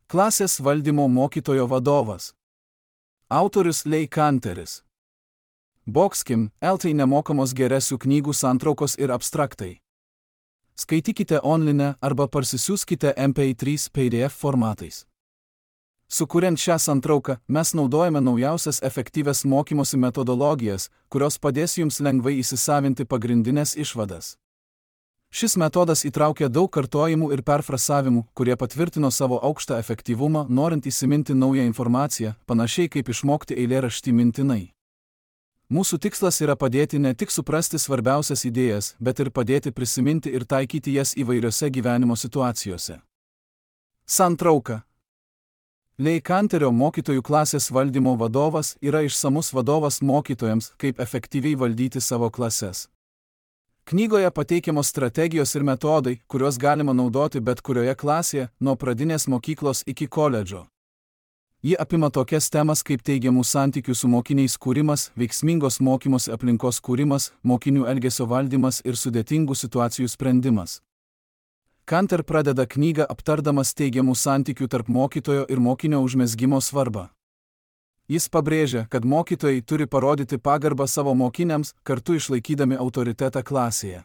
Klasės valdymo mokytojo vadovas. Autorius Leigh Canteris. Boxkim, LT nemokamos geresių knygų santraukos ir abstraktai. Skaitykite online arba parsisiųskite MP3 PDF formatais. Sukuriant šią santrauką, mes naudojame naujausias efektyvias mokymosi metodologijas, kurios padės jums lengvai įsisavinti pagrindinės išvadas. Šis metodas įtraukia daug kartojimų ir perfrasavimų, kurie patvirtino savo aukštą efektyvumą, norint įsiminti naują informaciją, panašiai kaip išmokti eilėraštį mintinai. Mūsų tikslas yra padėti ne tik suprasti svarbiausias idėjas, bet ir padėti prisiminti ir taikyti jas įvairiose gyvenimo situacijose. Santrauka. Leigh Canterio mokytojų klasės valdymo vadovas yra išsamus vadovas mokytojams, kaip efektyviai valdyti savo klases. Knygoje pateikiamos strategijos ir metodai, kuriuos galima naudoti bet kurioje klasėje, nuo pradinės mokyklos iki koledžo. Ji apima tokias temas kaip teigiamų santykių su mokiniais kūrimas, veiksmingos mokymosi aplinkos kūrimas, mokinių elgesio valdymas ir sudėtingų situacijų sprendimas. Canter pradeda knygą aptardamas teigiamų santykių tarp mokytojo ir mokinio užmezgimo svarbą. Jis pabrėžia, kad mokytojai turi parodyti pagarbą savo mokiniams, kartu išlaikydami autoritetą klasėje.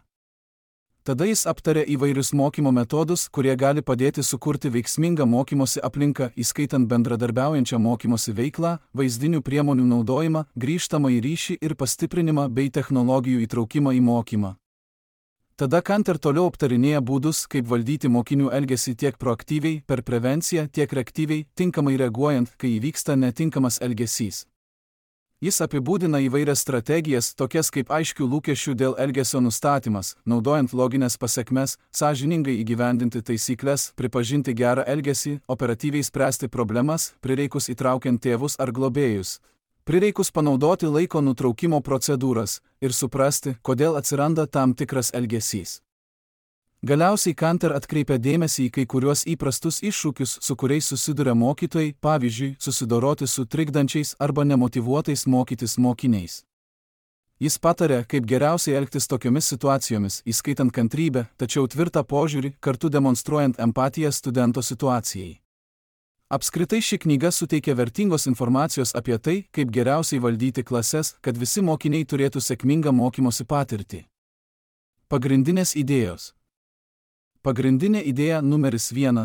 Tada jis aptarė įvairius mokymo metodus, kurie gali padėti sukurti veiksmingą mokymosi aplinką, įskaitant bendradarbiaujančią mokymosi veiklą, vaizdinių priemonių naudojimą, grįžtamąjį ryšį ir pastiprinimą bei technologijų įtraukimą į mokymą. Tada Canter toliau aptarinėja būdus, kaip valdyti mokinių elgesį tiek proaktyviai, per prevenciją, tiek reaktyviai, tinkamai reaguojant, kai įvyksta netinkamas elgesys. Jis apibūdina įvairias strategijas, tokias kaip aiškių lūkesčių dėl elgesio nustatymas, naudojant loginės pasekmes, sąžiningai įgyvendinti taisyklės, pripažinti gerą elgesį, operatyviai spręsti problemas, prireikus įtraukiant tėvus ar globėjus. Prireikus panaudoti laiko nutraukimo procedūras ir suprasti, kodėl atsiranda tam tikras elgesys. Galiausiai Canter atkreipia dėmesį į kai kuriuos įprastus iššūkius, su kuriais susiduria mokytojai, pavyzdžiui, susidoroti su trikdančiais arba nemotyvuotais mokytis mokiniais. Jis patarė, kaip geriausiai elgtis tokiomis situacijomis, įskaitant kantrybę, tačiau tvirtą požiūrį, kartu demonstruojant empatiją studento situacijai. Apskritai ši knyga suteikia vertingos informacijos apie tai, kaip geriausiai valdyti klases, kad visi mokiniai turėtų sėkmingą mokymosi patirtį. Pagrindinės idėjos. Pagrindinė idėja numeris 1.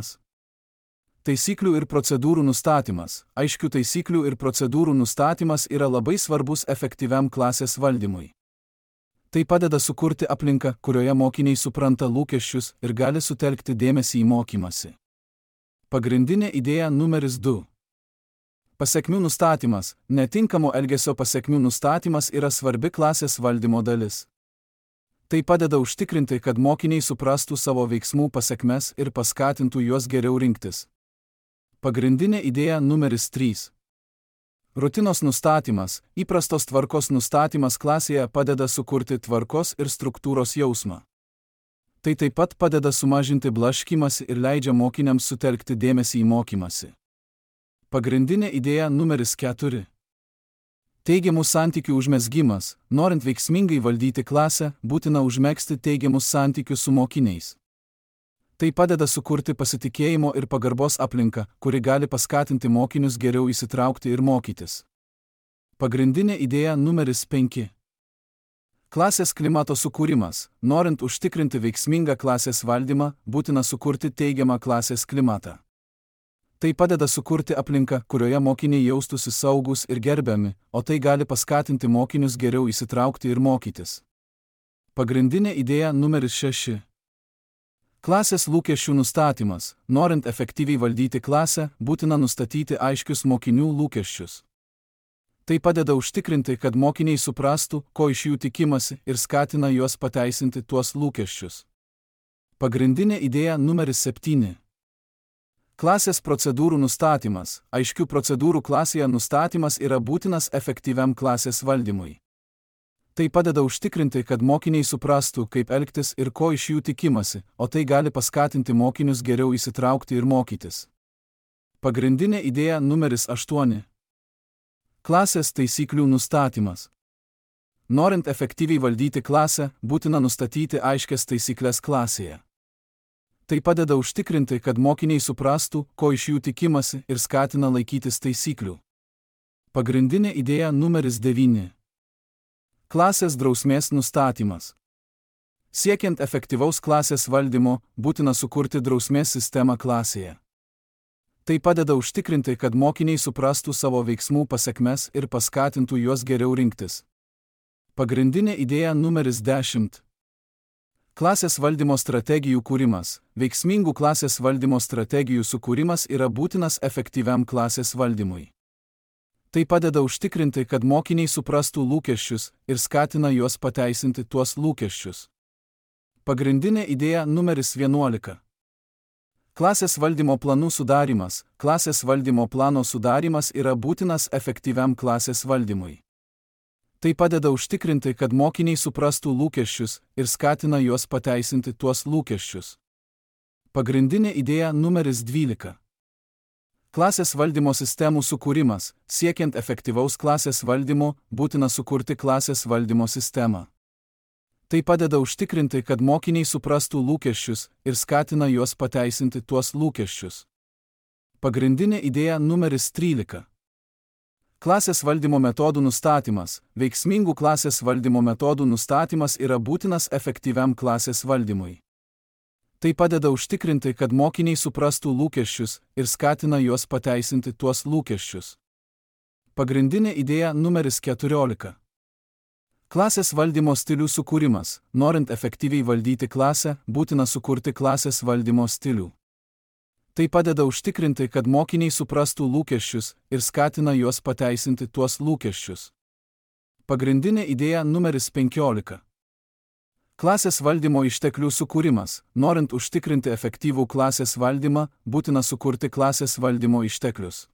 Taisyklių ir procedūrų nustatymas. Aiškių taisyklių ir procedūrų nustatymas yra labai svarbus efektyviam klasės valdymui. Tai padeda sukurti aplinką, kurioje mokiniai supranta lūkesčius ir gali sutelkti dėmesį į mokymąsi. Pagrindinė idėja numeris 2. Pasekmių nustatymas. Netinkamo elgesio pasekmių nustatymas yra svarbi klasės valdymo dalis. Tai padeda užtikrinti, kad mokiniai suprastų savo veiksmų pasekmes ir paskatintų juos geriau rinktis. Pagrindinė idėja numeris 3. Rutinos nustatymas. Įprastos tvarkos nustatymas klasėje padeda sukurti tvarkos ir struktūros jausmą. Tai taip pat padeda sumažinti blaškymąsi ir leidžia mokiniams sutelkti dėmesį į mokymąsi. Pagrindinė idėja numeris 4. Teigiamų santykių užmezgimas. Norint veiksmingai valdyti klasę, būtina užmegzti teigiamus santykius su mokiniais. Tai padeda sukurti pasitikėjimo ir pagarbos aplinką, kuri gali paskatinti mokinius geriau įsitraukti ir mokytis. Pagrindinė idėja numeris 5. Klasės klimato sukūrimas. Norint užtikrinti veiksmingą klasės valdymą, būtina sukurti teigiamą klasės klimatą. Tai padeda sukurti aplinką, kurioje mokiniai jaustųsi saugūs ir gerbiami, o tai gali paskatinti mokinius geriau įsitraukti ir mokytis. Pagrindinė idėja numeris 6. Klasės lūkesčių nustatymas. Norint efektyviai valdyti klasę, būtina nustatyti aiškius mokinių lūkesčius. Tai padeda užtikrinti, kad mokiniai suprastų, ko iš jų tikimasi ir skatina juos pateisinti tuos lūkesčius. Pagrindinė idėja numeris 7. Klasės procedūrų nustatymas. Aiškių procedūrų klasėje nustatymas yra būtinas efektyviam klasės valdymui. Tai padeda užtikrinti, kad mokiniai suprastų, kaip elgtis ir ko iš jų tikimasi, o tai gali paskatinti mokinius geriau įsitraukti ir mokytis. Pagrindinė idėja numeris 8. Klasės taisyklių nustatymas. Norint efektyviai valdyti klasę, būtina nustatyti aiškias taisyklės klasėje. Tai padeda užtikrinti, kad mokiniai suprastų, ko iš jų tikimasi ir skatina laikytis taisyklių. Pagrindinė idėja numeris 9. Klasės drausmės nustatymas. Siekiant efektyvaus klasės valdymo, būtina sukurti drausmės sistemą klasėje. Tai padeda užtikrinti, kad mokiniai suprastų savo veiksmų pasekmes ir paskatintų juos geriau rinktis. Pagrindinė idėja numeris 10. Klasės valdymo strategijų kūrimas. Veiksmingų klasės valdymo strategijų sukūrimas yra būtinas efektyviam klasės valdymui. Tai padeda užtikrinti, kad mokiniai suprastų lūkesčius ir skatina juos pateisinti tuos lūkesčius. Pagrindinė idėja numeris 11. Klasės valdymo planų sudarimas. Klasės valdymo plano sudarimas yra būtinas efektyviam klasės valdymui. Tai padeda užtikrinti, kad mokiniai suprastų lūkesčius ir skatina juos pateisinti tuos lūkesčius. Pagrindinė idėja numeris 12. Klasės valdymo sistemų sukūrimas. Siekiant efektyvaus klasės valdymo, būtina sukurti klasės valdymo sistemą. Tai padeda užtikrinti, kad mokiniai suprastų lūkesčius ir skatina juos pateisinti tuos lūkesčius. Pagrindinė idėja numeris 13. Klasės valdymo metodų nustatymas. Veiksmingų klasės valdymo metodų nustatymas yra būtinas efektyviam klasės valdymui. Tai padeda užtikrinti, kad mokiniai suprastų lūkesčius ir skatina juos pateisinti tuos lūkesčius. Pagrindinė idėja numeris 14. Klasės valdymo stilių sukūrimas. Norint efektyviai valdyti klasę, būtina sukurti klasės valdymo stilių. Tai padeda užtikrinti, kad mokiniai suprastų lūkesčius ir skatina juos pateisinti tuos lūkesčius. Pagrindinė idėja numeris 15. Klasės valdymo išteklių sukūrimas. Norint užtikrinti efektyvų klasės valdymą, būtina sukurti klasės valdymo išteklius.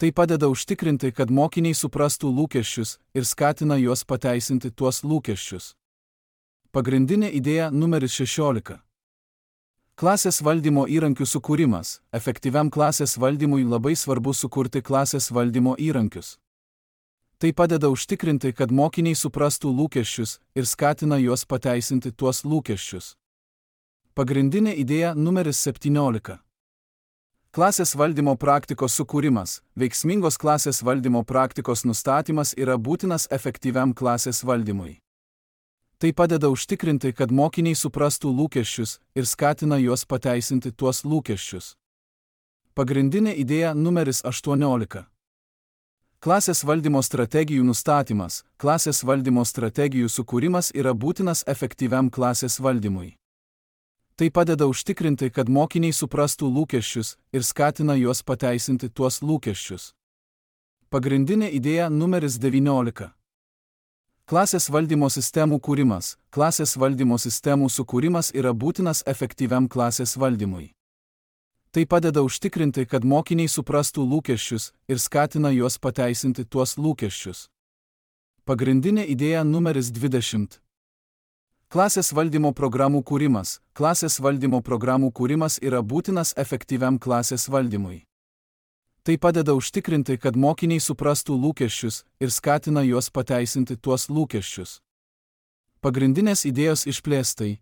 Tai padeda užtikrinti, kad mokiniai suprastų lūkesčius ir skatina juos pateisinti tuos lūkesčius. Pagrindinė idėja numeris 16. Klasės valdymo įrankių sukūrimas. Efektyviam klasės valdymui labai svarbu sukurti klasės valdymo įrankius. Tai padeda užtikrinti, kad mokiniai suprastų lūkesčius ir skatina juos pateisinti tuos lūkesčius. Pagrindinė idėja numeris 17. Klasės valdymo praktikos sukūrimas. Veiksmingos klasės valdymo praktikos nustatymas yra būtinas efektyviam klasės valdymui. Tai padeda užtikrinti, kad mokiniai suprastų lūkesčius ir skatina juos pateisinti tuos lūkesčius. Pagrindinė idėja numeris 18. Klasės valdymo strategijų nustatymas. Klasės valdymo strategijų sukūrimas yra būtinas efektyviam klasės valdymui. Tai padeda užtikrinti, kad mokiniai suprastų lūkesčius ir skatina juos pateisinti tuos lūkesčius. Pagrindinė idėja numeris 19. Klasės valdymo sistemų kūrimas. Klasės valdymo sistemų sukūrimas yra būtinas efektyviam klasės valdymui. Tai padeda užtikrinti, kad mokiniai suprastų lūkesčius ir skatina juos pateisinti tuos lūkesčius. Pagrindinė idėja numeris 20. Klasės valdymo programų kūrimas. Klasės valdymo programų kūrimas yra būtinas efektyviam klasės valdymui. Tai padeda užtikrinti, kad mokiniai suprastų lūkesčius ir skatina juos pateisinti tuos lūkesčius. Pagrindinės idėjos išplėstai.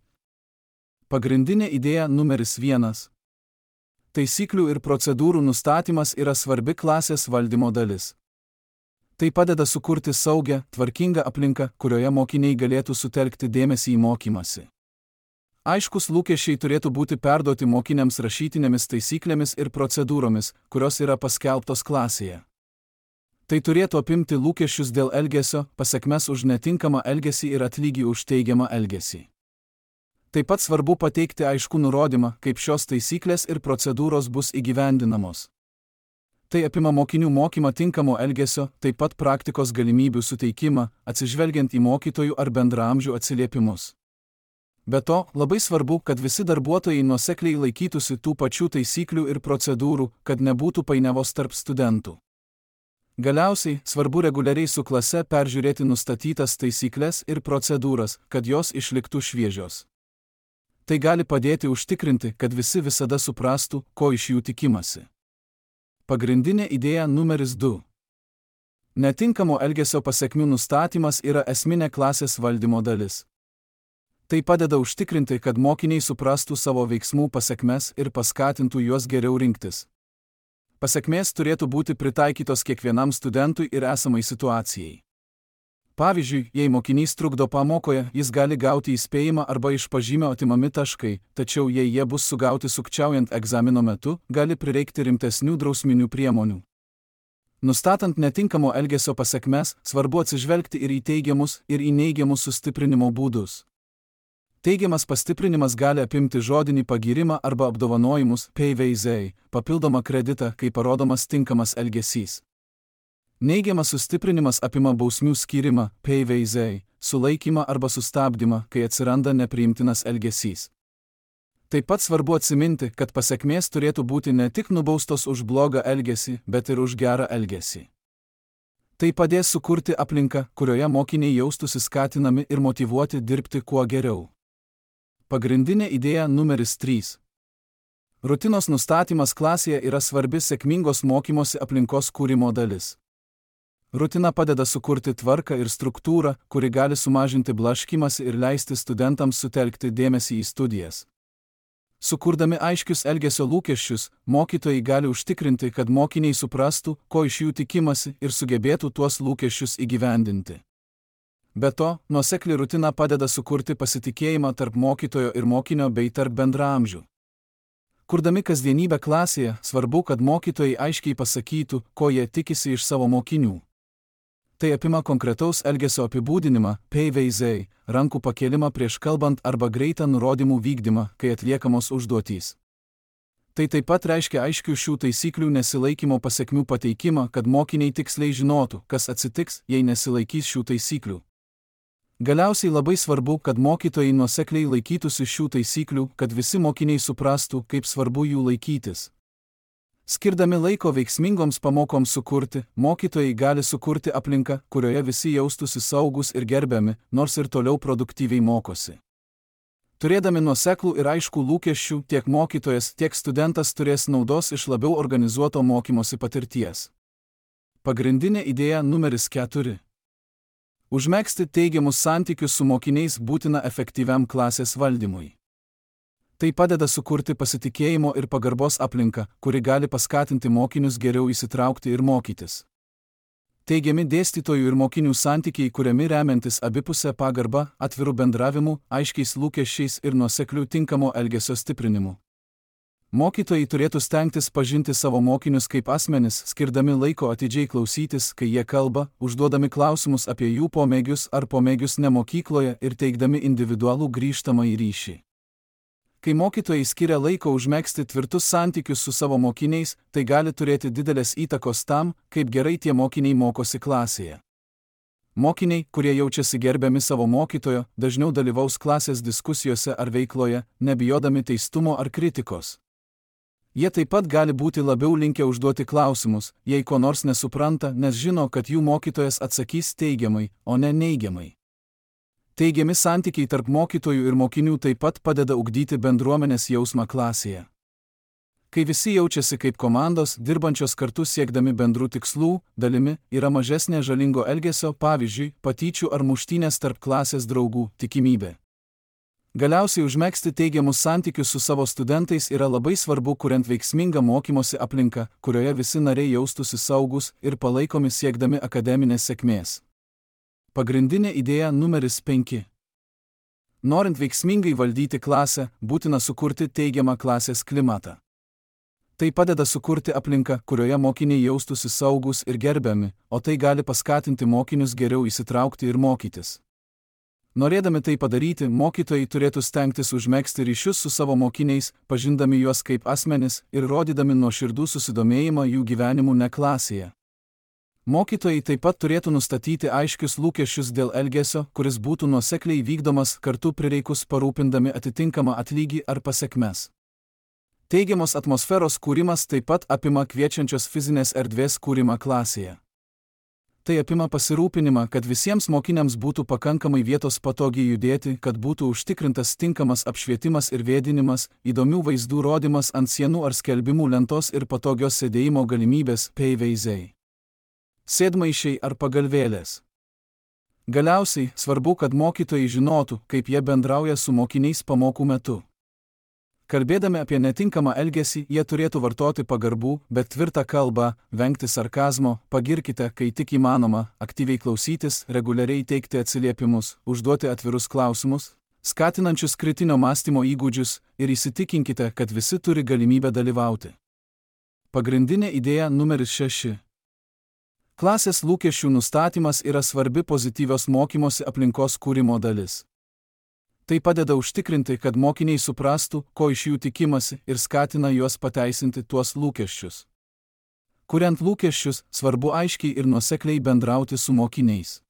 Pagrindinė idėja numeris 1. Taisyklių ir procedūrų nustatymas yra svarbi klasės valdymo dalis. Tai padeda sukurti saugią, tvarkingą aplinką, kurioje mokiniai galėtų sutelkti dėmesį į mokymąsi. Aiškus lūkesčiai turėtų būti perduoti mokiniams rašytinėmis taisyklėmis ir procedūromis, kurios yra paskelbtos klasėje. Tai turėtų apimti lūkesčius dėl elgesio, pasekmes už netinkamą elgesį ir atlygį už teigiamą elgesį. Taip pat svarbu pateikti aiškų nurodymą, kaip šios taisyklės ir procedūros bus įgyvendinamos. Tai apima mokinių mokymą tinkamo elgesio, taip pat praktikos galimybių suteikimą, atsižvelgiant į mokytojų ar bendraamžių atsiliepimus. Be to, labai svarbu, kad visi darbuotojai nuosekliai laikytųsi tų pačių taisyklių ir procedūrų, kad nebūtų painiavos tarp studentų. Galiausiai, svarbu reguliariai su klase peržiūrėti nustatytas taisyklės ir procedūras, kad jos išliktų šviežios. Tai gali padėti užtikrinti, kad visi visada suprastų, ko iš jų tikimasi. Pagrindinė idėja numeris 2. Netinkamo elgesio pasekmių nustatymas yra esminė klasės valdymo dalis. Tai padeda užtikrinti, kad mokiniai suprastų savo veiksmų pasekmes ir paskatintų juos geriau rinktis. Pasekmės turėtų būti pritaikytos kiekvienam studentui ir esamai situacijai. Pavyzdžiui, jei mokinys trukdo pamokoje, jis gali gauti įspėjimą arba iš pažymio atimami taškai, tačiau jei jie bus sugauti sukčiaujant egzamino metu, gali prireikti rimtesnių drausminių priemonių. Nustatant netinkamo elgesio pasekmes, svarbu atsižvelgti ir į teigiamus, ir į neigiamus sustiprinimo būdus. Teigiamas pastiprinimas gali apimti žodinį pagyrimą arba apdovanojimus, PVZ, papildomą kreditą, kai parodomas tinkamas elgesys. Neigiamas sustiprinimas apima bausmių skyrimą, PVZ, sulaikymą arba sustabdymą, kai atsiranda nepriimtinas elgesys. Taip pat svarbu atsiminti, kad pasekmės turėtų būti ne tik nubaustos už blogą elgesį, bet ir už gerą elgesį. Tai padės sukurti aplinką, kurioje mokiniai jaustųsi skatinami ir motyvuoti dirbti kuo geriau. Pagrindinė idėja numeris 3. Rutinos nustatymas klasėje yra svarbi sėkmingos mokymosi aplinkos kūrimo dalis. Rutina padeda sukurti tvarką ir struktūrą, kuri gali sumažinti blaškymąsi ir leisti studentams sutelkti dėmesį į studijas. Sukurdami aiškius elgesio lūkesčius, mokytojai gali užtikrinti, kad mokiniai suprastų, ko iš jų tikimasi ir sugebėtų tuos lūkesčius įgyvendinti. Be to, nuosekli rutina padeda sukurti pasitikėjimą tarp mokytojo ir mokinio bei tarp bendraamžių. Kurdami kasdienybę klasėje, svarbu, kad mokytojai aiškiai pasakytų, ko jie tikisi iš savo mokinių. Tai apima konkretaus elgesio apibūdinimą, PVZ, rankų pakėlimą prieš kalbant arba greitą nurodymų vykdymą, kai atliekamos užduotys. Tai taip pat reiškia aiškių šių taisyklių nesilaikymo pasekmių pateikimą, kad mokiniai tiksliai žinotų, kas atsitiks, jei nesilaikys šių taisyklių. Galiausiai labai svarbu, kad mokytojai nuosekliai laikytųsi šių taisyklių, kad visi mokiniai suprastų, kaip svarbu jų laikytis. Skirdami laiko veiksmingoms pamokoms sukurti, mokytojai gali sukurti aplinką, kurioje visi jaustųsi saugus ir gerbiami, nors ir toliau produktyviai mokosi. Turėdami nuoseklų ir aiškų lūkesčių, tiek mokytojas, tiek studentas turės naudos iš labiau organizuoto mokymosi patirties. Pagrindinė idėja numeris 4. Užmegzti teigiamus santykius su mokiniais būtina efektyviam klasės valdymui. Tai padeda sukurti pasitikėjimo ir pagarbos aplinką, kuri gali paskatinti mokinius geriau įsitraukti ir mokytis. Teigiami dėstytojų ir mokinių santykiai kuriami remiantis abipusę pagarbą, atvirų bendravimu, aiškiais lūkesčiais ir nuosekliu tinkamo elgesio stiprinimu. Mokytojai turėtų stengtis pažinti savo mokinius kaip asmenis, skirdami laiko atidžiai klausytis, kai jie kalba, užduodami klausimus apie jų pomėgius ar pomėgius ne mokykloje ir teikdami individualų grįžtamąjį ryšį. Kai mokytojai skiria laiko užmegzti tvirtus santykius su savo mokiniais, tai gali turėti didelės įtakos tam, kaip gerai tie mokiniai mokosi klasėje. Mokiniai, kurie jaučiasi gerbiami savo mokytojo, dažniau dalyvaus klasės diskusijose ar veikloje, nebijodami teistumo ar kritikos. Jie taip pat gali būti labiau linkę užduoti klausimus, jei ko nors nesupranta, nes žino, kad jų mokytojas atsakys teigiamai, o ne neigiamai. Teigiami santykiai tarp mokytojų ir mokinių taip pat padeda ugdyti bendruomenės jausmą klasėje. Kai visi jaučiasi kaip komandos, dirbančios kartu siekdami bendrų tikslų, dalimi, yra mažesnė žalingo elgesio, pavyzdžiui, patyčių ar muštynės tarp klasės draugų tikimybė. Galiausiai užmegzti teigiamus santykius su savo studentais yra labai svarbu, kuriant veiksmingą mokymosi aplinką, kurioje visi nariai jaustųsi saugus ir palaikomi siekdami akademinės sėkmės. Pagrindinė idėja numeris 5. Norint veiksmingai valdyti klasę, būtina sukurti teigiamą klasės klimatą. Tai padeda sukurti aplinką, kurioje mokiniai jaustųsi saugus ir gerbiami, o tai gali paskatinti mokinius geriau įsitraukti ir mokytis. Norėdami tai padaryti, mokytojai turėtų stengtis užmegzti ryšius su savo mokiniais, pažindami juos kaip asmenis ir rodydami nuoširdų susidomėjimą jų gyvenimu ne klasėje. Mokytojai taip pat turėtų nustatyti aiškius lūkesčius dėl elgesio, kuris būtų nuosekliai vykdomas kartu prireikus parūpindami atitinkamą atlygį ar pasekmes. Teigiamos atmosferos kūrimas taip pat apima kviečiančios fizinės erdvės kūrimą klasėje. Tai apima pasirūpinimą, kad visiems mokiniams būtų pakankamai vietos patogiai judėti, kad būtų užtikrintas tinkamas apšvietimas ir vėdinimas, įdomių vaizdų rodymas ant sienų ar skelbimų lentos ir patogios sėdėjimo galimybės PVZ. Sėdmaišiai ar pagalvėlės. Galiausiai, svarbu, kad mokytojai žinotų, kaip jie bendrauja su mokiniais pamokų metu. Kalbėdami apie netinkamą elgesį, jie turėtų vartoti pagarbų, bet tvirtą kalbą, vengti sarkazmo, pagirkite, kai tik įmanoma, aktyviai klausytis, reguliariai teikti atsiliepimus, užduoti atvirus klausimus, skatinančius kritinio mąstymo įgūdžius ir įsitikinkite, kad visi turi galimybę dalyvauti. Pagrindinė idėja numeris 6. Klasės lūkesčių nustatymas yra svarbi pozityvios mokymosi aplinkos kūrimo dalis. Tai padeda užtikrinti, kad mokiniai suprastų, ko iš jų tikimasi ir skatina juos pateisinti tuos lūkesčius. Kuriant lūkesčius, svarbu aiškiai ir nuosekliai bendrauti su mokiniais.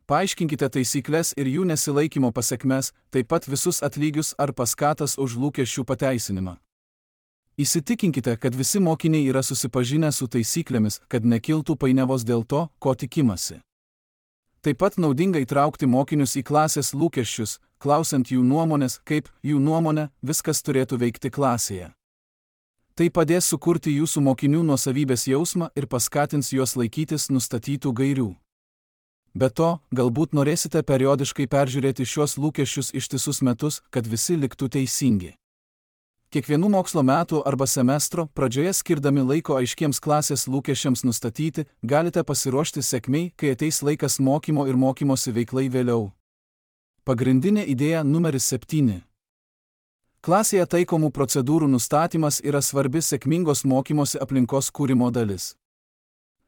Paaiškinkite taisykles ir jų nesilaikymo pasekmes, taip pat visus atlygius ar paskatas už lūkesčių pateisinimą. Įsitikinkite, kad visi mokiniai yra susipažinę su taisyklėmis, kad nekiltų painiavos dėl to, ko tikimasi. Taip pat naudinga įtraukti mokinius į klasės lūkesčius, klausiant jų nuomonės, kaip, jų nuomonė, viskas turėtų veikti klasėje. Tai padės sukurti jūsų mokinių nuosavybės jausmą ir paskatins juos laikytis nustatytų gairių. Be to, galbūt norėsite periodiškai peržiūrėti šiuos lūkesčius ištisus metus, kad visi liktų teisingi. Kiekvienų mokslo metų arba semestro pradžioje skirdami laiko aiškiems klasės lūkesčiams nustatyti, galite pasiruošti sėkmei, kai ateis laikas mokymo ir mokymosi veiklai vėliau. Pagrindinė idėja numeris 7. Klasėje taikomų procedūrų nustatymas yra svarbi sėkmingos mokymosi aplinkos kūrimo dalis.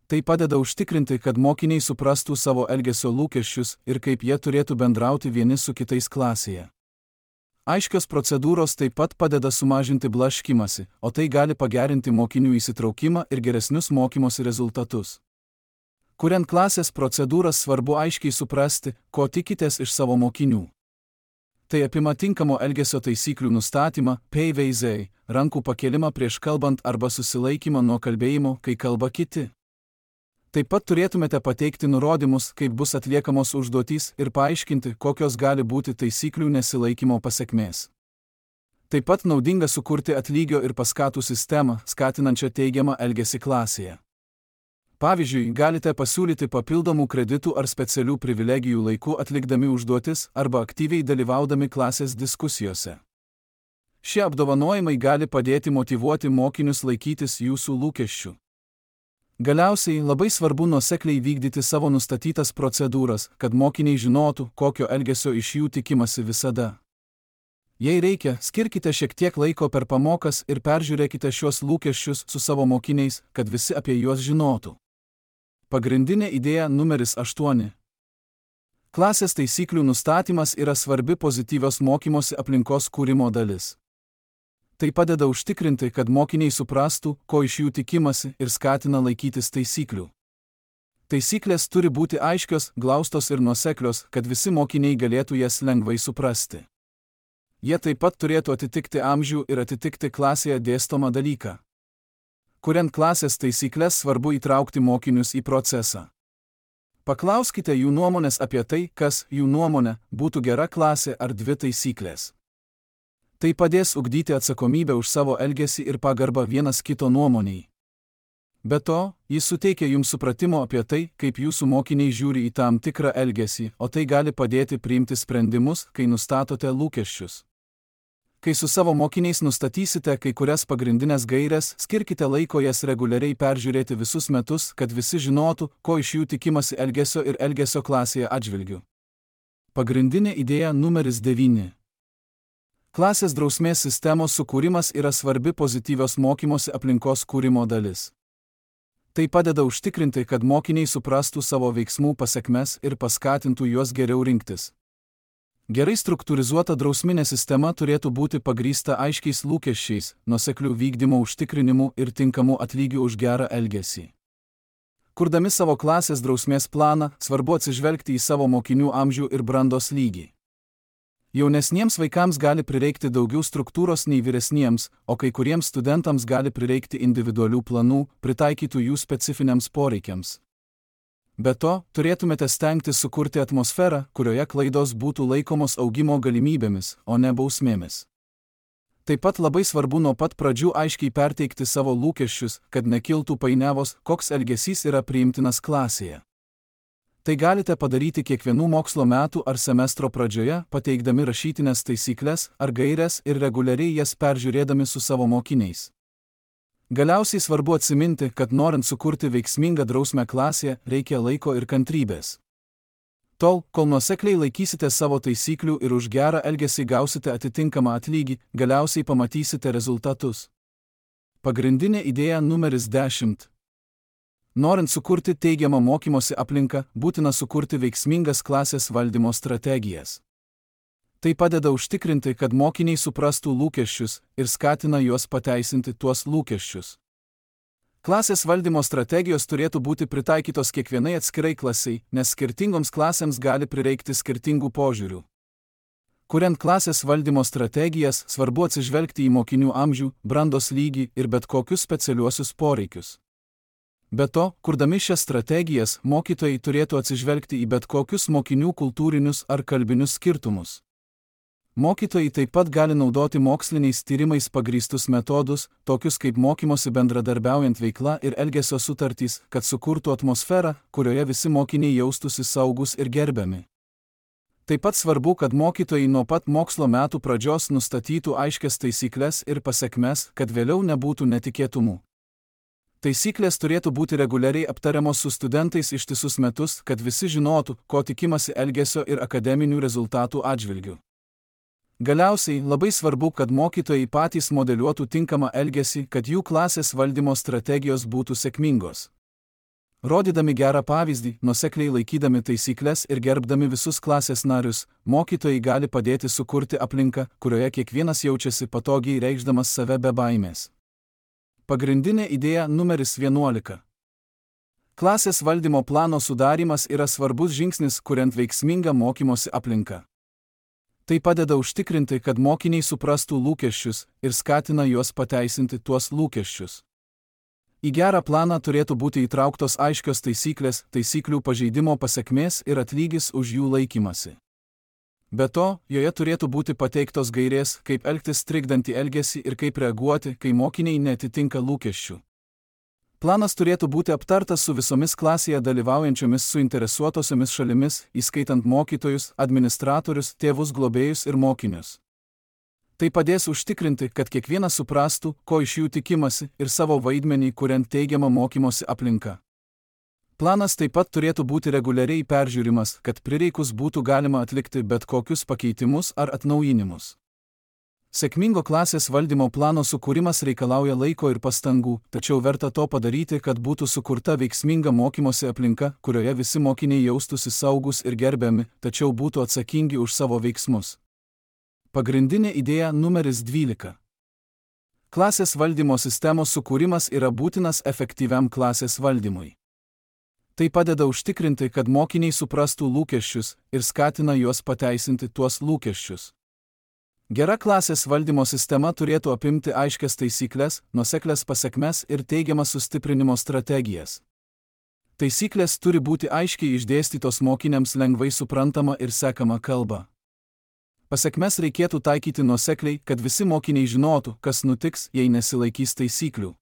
Tai padeda užtikrinti, kad mokiniai suprastų savo elgesio lūkesčius ir kaip jie turėtų bendrauti vieni su kitais klasėje. Aiškios procedūros taip pat padeda sumažinti blaškymąsi, o tai gali pagerinti mokinių įsitraukimą ir geresnius mokymosi rezultatus. Kuriant klasės procedūras, svarbu aiškiai suprasti, ko tikitės iš savo mokinių. Tai apima tinkamo elgesio taisyklių nustatymą, PVZ, rankų pakėlimą prieš kalbant arba susilaikymą nuo kalbėjimo, kai kalba kiti. Taip pat turėtumėte pateikti nurodymus, kaip bus atliekamos užduotys ir paaiškinti, kokios gali būti taisyklių nesilaikymo pasekmės. Taip pat naudinga sukurti atlygio ir paskatų sistemą, skatinančią teigiamą elgesį klasėje. Pavyzdžiui, galite pasiūlyti papildomų kreditų ar specialių privilegijų laiku atlikdami užduotis arba aktyviai dalyvaudami klasės diskusijose. Šie apdovanojimai gali padėti motyvuoti mokinius laikytis jūsų lūkesčių. Galiausiai labai svarbu nuosekliai vykdyti savo nustatytas procedūras, kad mokiniai žinotų, kokio elgesio iš jų tikimasi visada. Jei reikia, skirkite šiek tiek laiko per pamokas ir peržiūrėkite šiuos lūkesčius su savo mokiniais, kad visi apie juos žinotų. Pagrindinė idėja numeris 8. Klasės taisyklių nustatymas yra svarbi pozityvios mokymosi aplinkos kūrimo dalis. Tai padeda užtikrinti, kad mokiniai suprastų, ko iš jų tikimasi ir skatina laikytis taisyklių. Taisyklės turi būti aiškios, glaustos ir nuoseklios, kad visi mokiniai galėtų jas lengvai suprasti. Jie taip pat turėtų atitikti amžių ir atitikti klasėje dėstomą dalyką. Kuriant klasės taisyklės, svarbu įtraukti mokinius į procesą. Paklauskite jų nuomonės apie tai, kas, jų nuomonė, būtų gera klasė ar 2 taisyklės. Tai padės ugdyti atsakomybę už savo elgesį ir pagarbą vienas kito nuomoniai. Be to, jis suteikia jums supratimo apie tai, kaip jūsų mokiniai žiūri į tam tikrą elgesį, o tai gali padėti priimti sprendimus, kai nustatote lūkesčius. Kai su savo mokiniais nustatysite kai kurias pagrindinės gaires, skirkite laiko jas reguliariai peržiūrėti visus metus, kad visi žinotų, ko iš jų tikimasi elgesio ir elgesio klasėje atžvilgiu. Pagrindinė idėja numeris 9. Klasės drausmės sistemos sukūrimas yra svarbi pozityvios mokymosi aplinkos kūrimo dalis. Tai padeda užtikrinti, kad mokiniai suprastų savo veiksmų pasekmes ir paskatintų juos geriau rinktis. Gerai struktūrizuota drausminė sistema turėtų būti pagrįsta aiškiais lūkesčiais, nuosekliu vykdymo užtikrinimu ir tinkamu atlygiu už gerą elgesį. Kurdami savo klasės drausmės planą, svarbu atsižvelgti į savo mokinių amžių ir brandos lygį. Jaunesniems vaikams gali prireikti daugiau struktūros nei vyresniems, o kai kuriems studentams gali prireikti individualių planų, pritaikytų jų specifiniams poreikiams. Be to, turėtumėte stengtis sukurti atmosferą, kurioje klaidos būtų laikomos augimo galimybėmis, o ne bausmėmis. Taip pat labai svarbu nuo pat pradžių aiškiai perteikti savo lūkesčius, kad nekiltų painiavos, koks elgesys yra priimtinas klasėje. Tai galite padaryti kiekvienų mokslo metų ar semestro pradžioje, pateikdami rašytinės taisykles ar gaires ir reguliariai jas peržiūrėdami su savo mokiniais. Galiausiai svarbu atsiminti, kad norint sukurti veiksmingą drausmę klasėje, reikia laiko ir kantrybės. Tol, kol nuosekliai laikysite savo taisyklių ir už gerą elgesį gausite atitinkamą atlygį, galiausiai pamatysite rezultatus. Pagrindinė idėja numeris 10. Norint sukurti teigiamą mokymosi aplinką, būtina sukurti veiksmingas klasės valdymo strategijas. Tai padeda užtikrinti, kad mokiniai suprastų lūkesčius ir skatina juos pateisinti tuos lūkesčius. Klasės valdymo strategijos turėtų būti pritaikytos kiekvienai atskirai klasiai, nes skirtingoms klasėms gali prireikti skirtingų požiūrių. Kuriant klasės valdymo strategijas, svarbu atsižvelgti į mokinių amžių, brandos lygį ir bet kokius specialiuosius poreikius. Be to, kurdami šias strategijas, mokytojai turėtų atsižvelgti į bet kokius mokinių kultūrinius ar kalbinius skirtumus. Mokytojai taip pat gali naudoti moksliniais tyrimais pagrįstus metodus, tokius kaip mokymosi bendradarbiaujant veikla ir elgesio sutartys, kad sukurtų atmosferą, kurioje visi mokiniai jaustųsi saugus ir gerbiami. Taip pat svarbu, kad mokytojai nuo pat mokslo metų pradžios nustatytų aiškias taisyklės ir pasekmes, kad vėliau nebūtų netikėtumų. Taisyklės turėtų būti reguliariai aptariamos su studentais ištisus metus, kad visi žinotų, ko tikimasi elgesio ir akademinių rezultatų atžvilgiu. Galiausiai, labai svarbu, kad mokytojai patys modeliuotų tinkamą elgesį, kad jų klasės valdymo strategijos būtų sėkmingos. Rodydami gerą pavyzdį, nuosekliai laikydami taisyklės ir gerbdami visus klasės narius, mokytojai gali padėti sukurti aplinką, kurioje kiekvienas jaučiasi patogiai reikšdamas save be baimės. Pagrindinė idėja numeris 11. Klasės valdymo plano sudarymas yra svarbus žingsnis, kuriant veiksmingą mokymosi aplinką. Tai padeda užtikrinti, kad mokiniai suprastų lūkesčius ir skatina juos pateisinti tuos lūkesčius. Į gerą planą turėtų būti įtrauktos aiškios taisyklės, taisyklių pažeidimo pasekmės ir atlygis už jų laikymasi. Be to, joje turėtų būti pateiktos gairės, kaip elgtis trikdantį elgesį ir kaip reaguoti, kai mokiniai neatitinka lūkesčių. Planas turėtų būti aptartas su visomis klasėje dalyvaujančiomis suinteresuotosiomis šalimis, įskaitant mokytojus, administratorius, tėvus, globėjus ir mokinius. Tai padės užtikrinti, kad kiekvienas suprastų, ko iš jų tikimasi ir savo vaidmenį, kuriant teigiamą mokymosi aplinką. Planas taip pat turėtų būti reguliariai peržiūrimas, kad prireikus būtų galima atlikti bet kokius pakeitimus ar atnaujinimus. Sėkmingo klasės valdymo plano sukūrimas reikalauja laiko ir pastangų, tačiau verta to padaryti, kad būtų sukurta veiksminga mokymosi aplinka, kurioje visi mokiniai jaustųsi saugus ir gerbiami, tačiau būtų atsakingi už savo veiksmus. Pagrindinė idėja numeris 12. Klasės valdymo sistemos sukūrimas yra būtinas efektyviam klasės valdymui. Tai padeda užtikrinti, kad mokiniai suprastų lūkesčius ir skatina juos pateisinti tuos lūkesčius. Gera klasės valdymo sistema turėtų apimti aiškias taisyklės, nuoseklias pasekmes ir teigiamas sustiprinimo strategijas. Taisyklės turi būti aiškiai išdėstytos mokiniams lengvai suprantama ir sekama kalba. Pasekmes reikėtų taikyti nuosekliai, kad visi mokiniai žinotų, kas nutiks, jei nesilaikys taisyklių.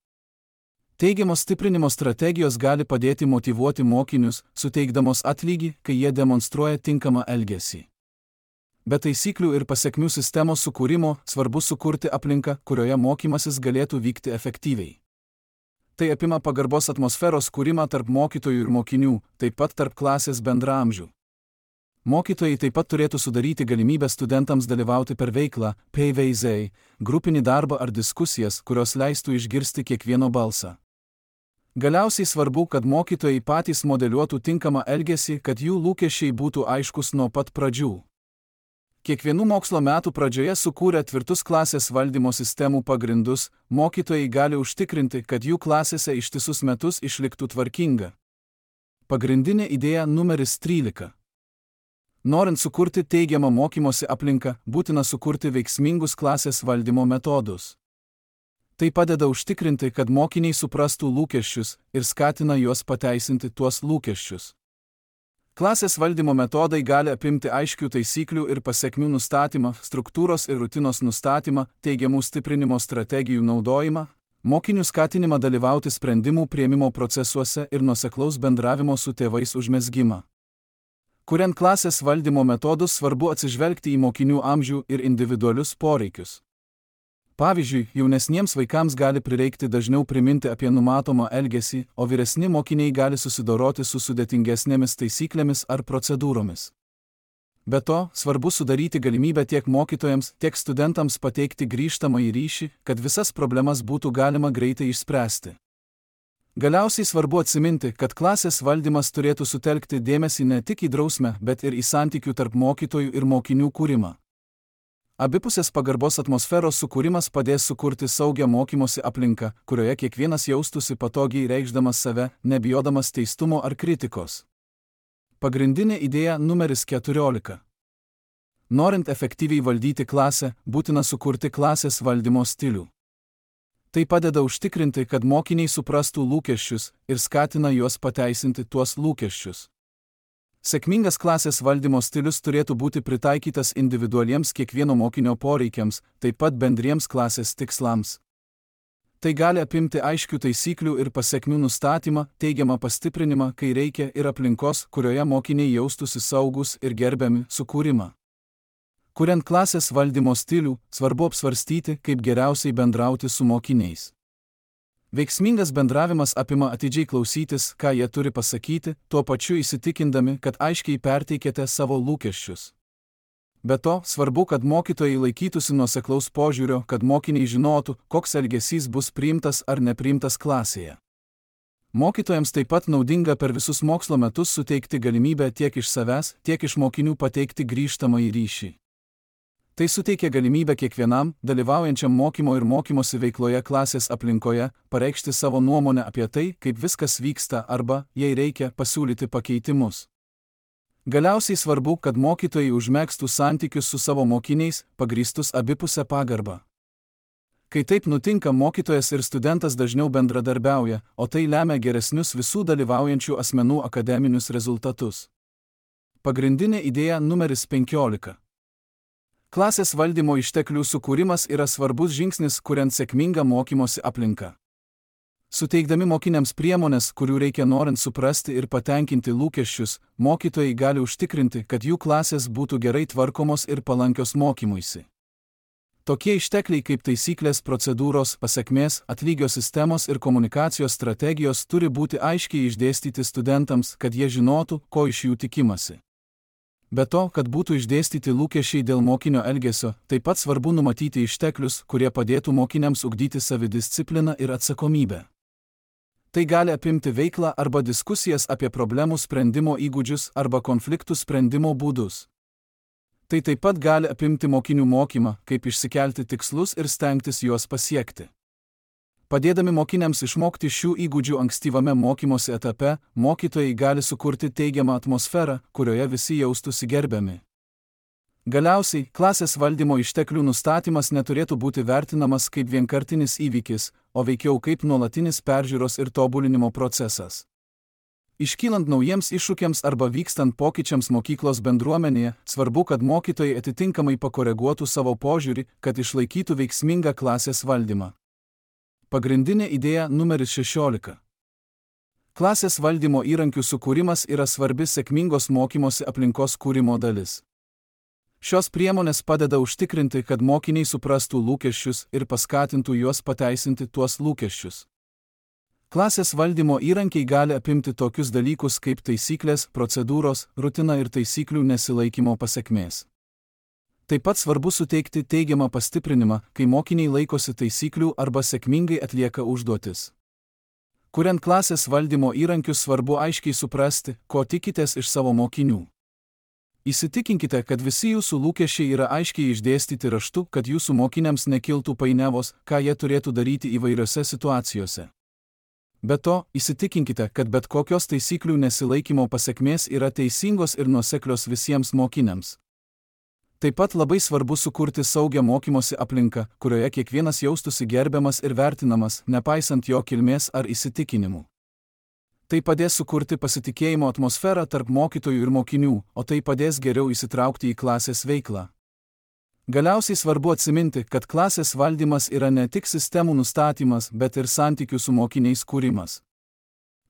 Teigiamos stiprinimo strategijos gali padėti motyvuoti mokinius, suteikdamos atlygį, kai jie demonstruoja tinkamą elgesį. Be taisyklių ir pasekmių sistemos sukūrimo svarbu sukurti aplinką, kurioje mokymasis galėtų vykti efektyviai. Tai apima pagarbos atmosferos kūrimą tarp mokytojų ir mokinių, taip pat tarp klasės bendraamžių. Mokytojai taip pat turėtų sudaryti galimybę studentams dalyvauti per veiklą, PVZ, grupinį darbą ar diskusijas, kurios leistų išgirsti kiekvieno balsą. Galiausiai svarbu, kad mokytojai patys modeliuotų tinkamą elgesį, kad jų lūkesčiai būtų aiškus nuo pat pradžių. Kiekvienų mokslo metų pradžioje sukūrę tvirtus klasės valdymo sistemų pagrindus, mokytojai gali užtikrinti, kad jų klasėse ištisus metus išliktų tvarkinga. Pagrindinė idėja numeris 13. Norint sukurti teigiamą mokymosi aplinką, būtina sukurti veiksmingus klasės valdymo metodus. Tai padeda užtikrinti, kad mokiniai suprastų lūkesčius ir skatina juos pateisinti tuos lūkesčius. Klasės valdymo metodai gali apimti aiškių taisyklių ir pasekmių nustatymą, struktūros ir rutinos nustatymą, teigiamų stiprinimo strategijų naudojimą, mokinių skatinimą dalyvauti sprendimų priėmimo procesuose ir nuoseklaus bendravimo su tėvais užmezgimą. Kuriant klasės valdymo metodus, svarbu atsižvelgti į mokinių amžių ir individualius poreikius. Pavyzdžiui, jaunesniems vaikams gali prireikti dažniau priminti apie numatomą elgesį, o vyresni mokiniai gali susidoroti su sudėtingesnėmis taisyklėmis ar procedūromis. Be to, svarbu sudaryti galimybę tiek mokytojams, tiek studentams pateikti grįžtamąjį ryšį, kad visas problemas būtų galima greitai išspręsti. Galiausiai svarbu atsiminti, kad klasės valdymas turėtų sutelkti dėmesį ne tik į drausmę, bet ir į santykių tarp mokytojų ir mokinių kūrimą. Abipusės pagarbos atmosferos sukūrimas padės sukurti saugią mokymosi aplinką, kurioje kiekvienas jaustųsi patogiai reikšdamas save, nebijodamas teistumo ar kritikos. Pagrindinė idėja numeris 14. Norint efektyviai valdyti klasę, būtina sukurti klasės valdymo stilių. Tai padeda užtikrinti, kad mokiniai suprastų lūkesčius ir skatina juos pateisinti tuos lūkesčius. Sėkmingas klasės valdymo stilius turėtų būti pritaikytas individualiems kiekvieno mokinio poreikiams, taip pat bendriems klasės tikslams. Tai gali apimti aiškių taisyklių ir pasekmių nustatymą, teigiamą pastiprinimą, kai reikia, ir aplinkos, kurioje mokiniai jaustųsi saugus ir gerbiami, sukūrimą. Kuriant klasės valdymo stilių, svarbu apsvarstyti, kaip geriausiai bendrauti su mokiniais. Veiksmingas bendravimas apima atidžiai klausytis, ką jie turi pasakyti, tuo pačiu įsitikindami, kad aiškiai perteikėte savo lūkesčius. Be to, svarbu, kad mokytojai laikytųsi nuoseklaus požiūrio, kad mokiniai žinotų, koks elgesys bus priimtas ar nepriimtas klasėje. Mokytojams taip pat naudinga per visus mokslo metus suteikti galimybę tiek iš savęs, tiek iš mokinių pateikti grįžtamąjį ryšį. Tai suteikia galimybę kiekvienam, dalyvaujančiam mokymo ir mokymosi veikloje klasės aplinkoje, pareikšti savo nuomonę apie tai, kaip viskas vyksta arba, jei reikia, pasiūlyti pakeitimus. Galiausiai svarbu, kad mokytojai užmegztų santykius su savo mokiniais, pagrįstus abipusę pagarbą. Kai taip nutinka, mokytojas ir studentas dažniau bendradarbiauja, o tai lemia geresnius visų dalyvaujančių asmenų akademinius rezultatus. Pagrindinė idėja numeris 15. Klasės valdymo išteklių sukūrimas yra svarbus žingsnis, kuriant sėkmingą mokymosi aplinką. Suteikdami mokiniams priemonės, kurių reikia norint suprasti ir patenkinti lūkesčius, mokytojai gali užtikrinti, kad jų klasės būtų gerai tvarkomos ir palankios mokymuisi. Tokie ištekliai kaip taisyklės, procedūros, pasekmės, atlygio sistemos ir komunikacijos strategijos turi būti aiškiai išdėstyti studentams, kad jie žinotų, ko iš jų tikimasi. Be to, kad būtų išdėstyti lūkesčiai dėl mokinio elgesio, taip pat svarbu numatyti išteklius, kurie padėtų mokiniams ugdyti savidiscipliną ir atsakomybę. Tai gali apimti veiklą arba diskusijas apie problemų sprendimo įgūdžius arba konfliktų sprendimo būdus. Tai taip pat gali apimti mokinių mokymą, kaip išsikelti tikslus ir stengtis juos pasiekti. Padėdami mokiniams išmokti šių įgūdžių ankstyvame mokymosi etape, mokytojai gali sukurti teigiamą atmosferą, kurioje visi jaustųsi gerbiami. Galiausiai, klasės valdymo išteklių nustatymas neturėtų būti vertinamas kaip vienkartinis įvykis, o veikiau kaip nuolatinis peržiūros ir tobulinimo procesas. Iškylant naujiems iššūkiams arba vykstant pokyčiams mokyklos bendruomenėje, svarbu, kad mokytojai atitinkamai pakoreguotų savo požiūrį, kad išlaikytų veiksmingą klasės valdymą. Pagrindinė idėja numeris 16. Klasės valdymo įrankių sukūrimas yra svarbi sėkmingos mokymosi aplinkos kūrimo dalis. Šios priemonės padeda užtikrinti, kad mokiniai suprastų lūkesčius ir paskatintų juos pateisinti tuos lūkesčius. Klasės valdymo įrankiai gali apimti tokius dalykus kaip taisyklės, procedūros, rutina ir taisyklių nesilaikymo pasekmės. Taip pat svarbu suteikti teigiamą pastiprinimą, kai mokiniai laikosi taisyklių arba sėkmingai atlieka užduotis. Kuriant klasės valdymo įrankius, svarbu aiškiai suprasti, ko tikitės iš savo mokinių. Įsitikinkite, kad visi jūsų lūkesčiai yra aiškiai išdėstyti raštu, kad jūsų mokiniams nekiltų painiavos, ką jie turėtų daryti įvairiose situacijose. Be to, įsitikinkite, kad bet kokios taisyklių nesilaikymo pasekmės yra teisingos ir nuoseklios visiems mokiniams. Taip pat labai svarbu sukurti saugią mokymosi aplinką, kurioje kiekvienas jaustųsi gerbiamas ir vertinamas, nepaisant jo kilmės ar įsitikinimų. Tai padės sukurti pasitikėjimo atmosferą tarp mokytojų ir mokinių, o tai padės geriau įsitraukti į klasės veiklą. Galiausiai svarbu atsiminti, kad klasės valdymas yra ne tik sistemų nustatymas, bet ir santykių su mokiniais kūrimas.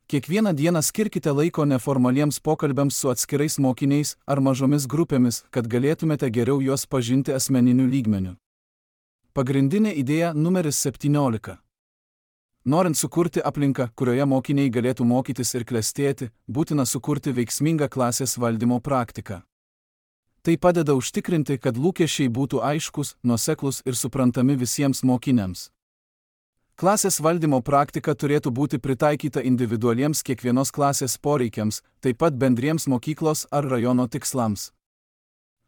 Kiekvieną dieną skirkite laiko neformaliems pokalbiams su atskirais mokiniais ar mažomis grupėmis, kad galėtumėte geriau juos pažinti asmeniniu lygmeniu. Pagrindinė idėja numeris 17. Norint sukurti aplinką, kurioje mokiniai galėtų mokytis ir klestėti, būtina sukurti veiksmingą klasės valdymo praktiką. Tai padeda užtikrinti, kad lūkesčiai būtų aiškus, nuoseklūs ir suprantami visiems mokiniams. Klasės valdymo praktika turėtų būti pritaikyta individualiems kiekvienos klasės poreikiams, taip pat bendriems mokyklos ar rajono tikslams.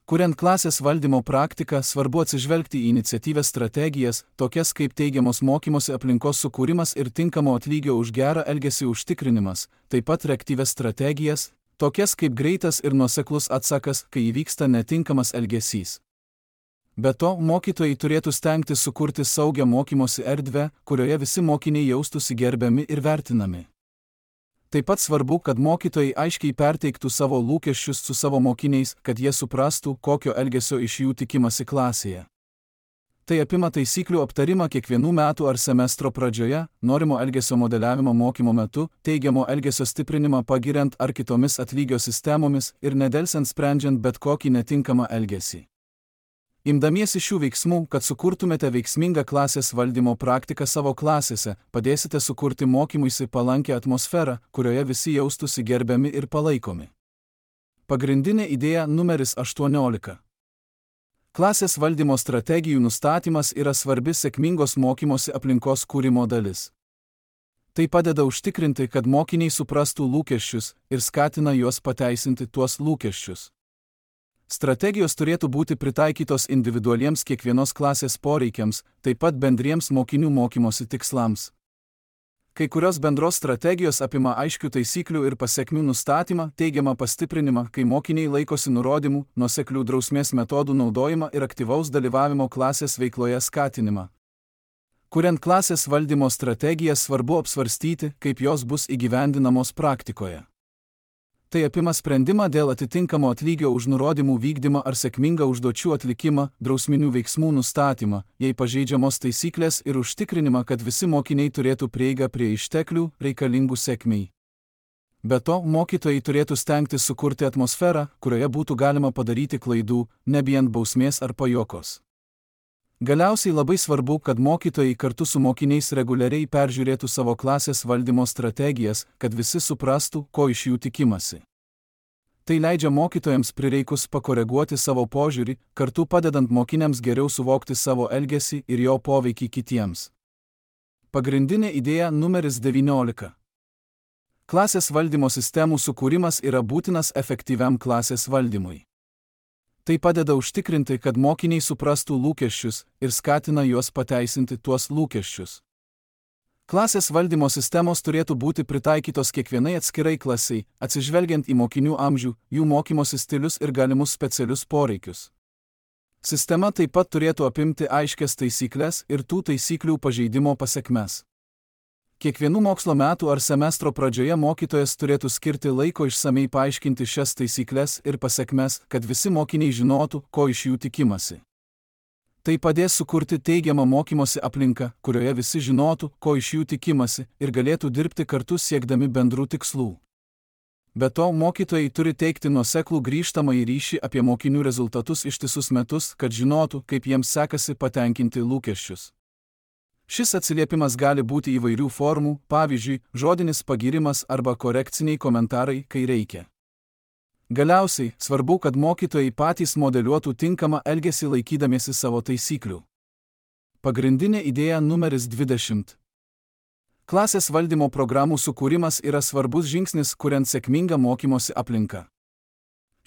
Kuriant klasės valdymo praktiką, svarbu atsižvelgti į iniciatyvias strategijas, tokias kaip teigiamos mokymosi aplinkos sukūrimas ir tinkamo atlygio už gerą elgesį užtikrinimas, taip pat reaktyvias strategijas, tokias kaip greitas ir nuoseklus atsakas, kai įvyksta netinkamas elgesys. Be to, mokytojai turėtų stengtis sukurti saugią mokymosi erdvę, kurioje visi mokiniai jaustųsi gerbiami ir vertinami. Taip pat svarbu, kad mokytojai aiškiai perteiktų savo lūkesčius su savo mokiniais, kad jie suprastų, kokio elgesio iš jų tikimasi klasėje. Tai apima taisyklių aptarimą kiekvienų metų ar semestro pradžioje, norimo elgesio modeliavimo mokymo metu, teigiamo elgesio stiprinimą pagiriant ar kitomis atlygio sistemomis ir nedelsiant sprendžiant bet kokį netinkamą elgesį. Imdamiesi šių veiksmų, kad sukurtumėte veiksmingą klasės valdymo praktiką savo klasėse, padėsite sukurti mokymuisi palankę atmosferą, kurioje visi jaustųsi gerbiami ir palaikomi. Pagrindinė idėja numeris 18. Klasės valdymo strategijų nustatymas yra svarbi sėkmingos mokymosi aplinkos kūrimo dalis. Tai padeda užtikrinti, kad mokiniai suprastų lūkesčius ir skatina juos pateisinti tuos lūkesčius. Strategijos turėtų būti pritaikytos individualiems kiekvienos klasės poreikiams, taip pat bendriems mokinių mokymosi tikslams. Kai kurios bendros strategijos apima aiškių taisyklių ir pasekmių nustatymą, teigiamą pastiprinimą, kai mokiniai laikosi nurodymų, nuoseklių drausmės metodų naudojimą ir aktyvaus dalyvavimo klasės veikloje skatinimą. Kuriant klasės valdymo strategiją, svarbu apsvarstyti, kaip jos bus įgyvendinamos praktikoje. Tai apima sprendimą dėl atitinkamo atlygio už nurodymų vykdymą ar sėkmingą užduočių atlikimą, drausminių veiksmų nustatymą, jei pažeidžiamos taisyklės ir užtikrinimą, kad visi mokiniai turėtų prieigą prie išteklių reikalingų sėkmei. Be to, mokytojai turėtų stengtis sukurti atmosferą, kurioje būtų galima padaryti klaidų, nebijant bausmės ar pajuokos. Galiausiai labai svarbu, kad mokytojai kartu su mokiniais reguliariai peržiūrėtų savo klasės valdymo strategijas, kad visi suprastų, ko iš jų tikimasi. Tai leidžia mokytojams prireikus pakoreguoti savo požiūrį, kartu padedant mokiniams geriau suvokti savo elgesį ir jo poveikį kitiems. Pagrindinė idėja numeris 19. Klasės valdymo sistemų sukūrimas yra būtinas efektyviam klasės valdymui. Tai padeda užtikrinti, kad mokiniai suprastų lūkesčius ir skatina juos pateisinti tuos lūkesčius. Klasės valdymo sistemos turėtų būti pritaikytos kiekvienai atskirai klasiai, atsižvelgiant į mokinių amžių, jų mokymosi stilius ir galimus specialius poreikius. Sistema taip pat turėtų apimti aiškias taisyklės ir tų taisyklių pažeidimo pasekmes. Kiekvienų mokslo metų ar semestro pradžioje mokytojas turėtų skirti laiko išsamei paaiškinti šias taisyklės ir pasekmes, kad visi mokiniai žinotų, ko iš jų tikimasi. Tai padės sukurti teigiamą mokymosi aplinką, kurioje visi žinotų, ko iš jų tikimasi ir galėtų dirbti kartu siekdami bendrų tikslų. Be to, mokytojai turi teikti nuoseklų grįžtamąjį ryšį apie mokinių rezultatus ištisus metus, kad žinotų, kaip jiems sekasi patenkinti lūkesčius. Šis atsiliepimas gali būti įvairių formų, pavyzdžiui, žodinis pagyrimas arba korekciniai komentarai, kai reikia. Galiausiai, svarbu, kad mokytojai patys modeliuotų tinkamą elgesį laikydamiesi savo taisyklių. Pagrindinė idėja numeris 20. Klasės valdymo programų sukūrimas yra svarbus žingsnis, kuriant sėkmingą mokymosi aplinką.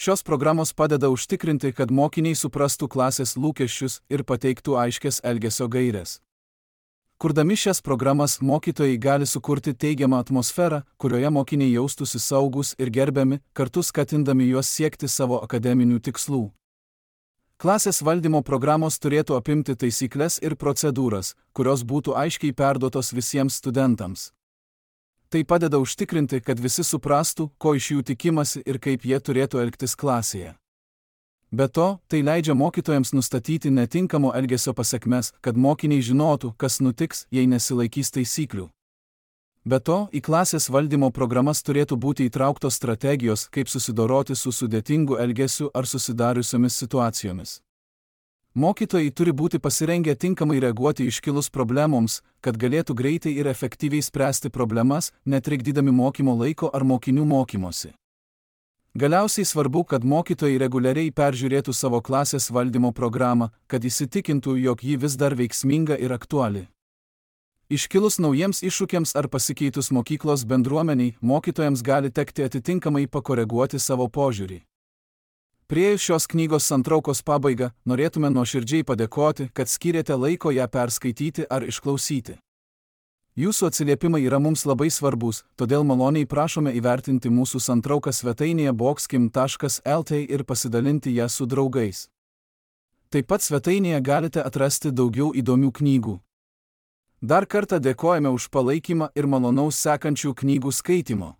Šios programos padeda užtikrinti, kad mokiniai suprastų klasės lūkesčius ir pateiktų aiškias elgesio gaires. Kurdami šias programas, mokytojai gali sukurti teigiamą atmosferą, kurioje mokiniai jaustųsi saugus ir gerbiami, kartu skatindami juos siekti savo akademinių tikslų. Klasės valdymo programos turėtų apimti taisyklės ir procedūras, kurios būtų aiškiai perduotos visiems studentams. Tai padeda užtikrinti, kad visi suprastų, ko iš jų tikimasi ir kaip jie turėtų elgtis klasėje. Be to, tai leidžia mokytojams nustatyti netinkamo elgesio pasekmes, kad mokiniai žinotų, kas nutiks, jei nesilaikys taisyklių. Be to, į klasės valdymo programas turėtų būti įtrauktos strategijos, kaip susidoroti su sudėtingu elgesiu ar susidariusiomis situacijomis. Mokytojai turi būti pasirengę tinkamai reaguoti iškilus problemoms, kad galėtų greitai ir efektyviai spręsti problemas, netrikdydami mokymo laiko ar mokinių mokymosi. Galiausiai svarbu, kad mokytojai reguliariai peržiūrėtų savo klasės valdymo programą, kad įsitikintų, jog ji vis dar veiksminga ir aktuali. Iškilus naujiems iššūkiams ar pasikeitus mokyklos bendruomeniai, mokytojams gali tekti atitinkamai pakoreguoti savo požiūrį. Priėjus šios knygos santraukos pabaigą, norėtume nuoširdžiai padėkoti, kad skyrėte laiko ją perskaityti ar išklausyti. Jūsų atsiliepimai yra mums labai svarbus, todėl maloniai prašome įvertinti mūsų santrauką svetainėje boxkim.lt ir pasidalinti ją su draugais. Taip pat svetainėje galite atrasti daugiau įdomių knygų. Dar kartą dėkojame už palaikymą ir malonaus sekančių knygų skaitymo.